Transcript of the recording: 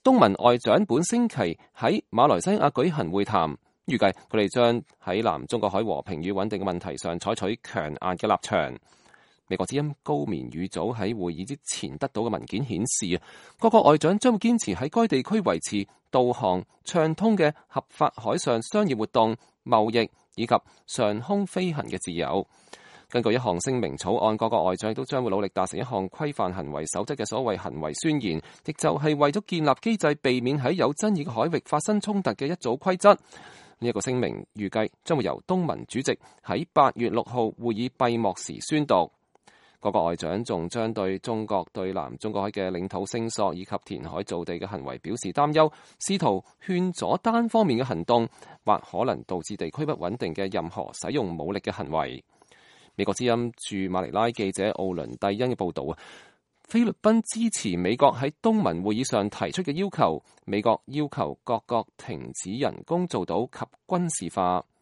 東盟外長本星期喺馬來西亞舉行會談，預計佢哋將喺南中國海和平與穩定嘅問題上採取強硬嘅立場。美國之音高棉語組喺會議之前得到嘅文件顯示，各國外長將會堅持喺該地區維持導航暢通嘅合法海上商業活動、貿易以及上空飛行嘅自由。根據一項聲明草案，各國外長亦都將會努力達成一項規範行為守則嘅所謂行為宣言，亦就係為咗建立機制，避免喺有爭議嘅海域發生衝突嘅一組規則。呢一個聲明預計將會由東盟主席喺8月6號會議閉幕時宣讀。各國外長仲將對中國對南中國海嘅領土聲索以及填海造地嘅行為表示擔憂，試圖勸阻單方面嘅行動或可能導致地區不穩定嘅任何使用武力嘅行為。美國之音駐馬尼拉記者奧倫蒂恩嘅報導，菲律賓支持美國喺東盟會議上提出嘅要求，美國要求各國停止人工造島及軍事化。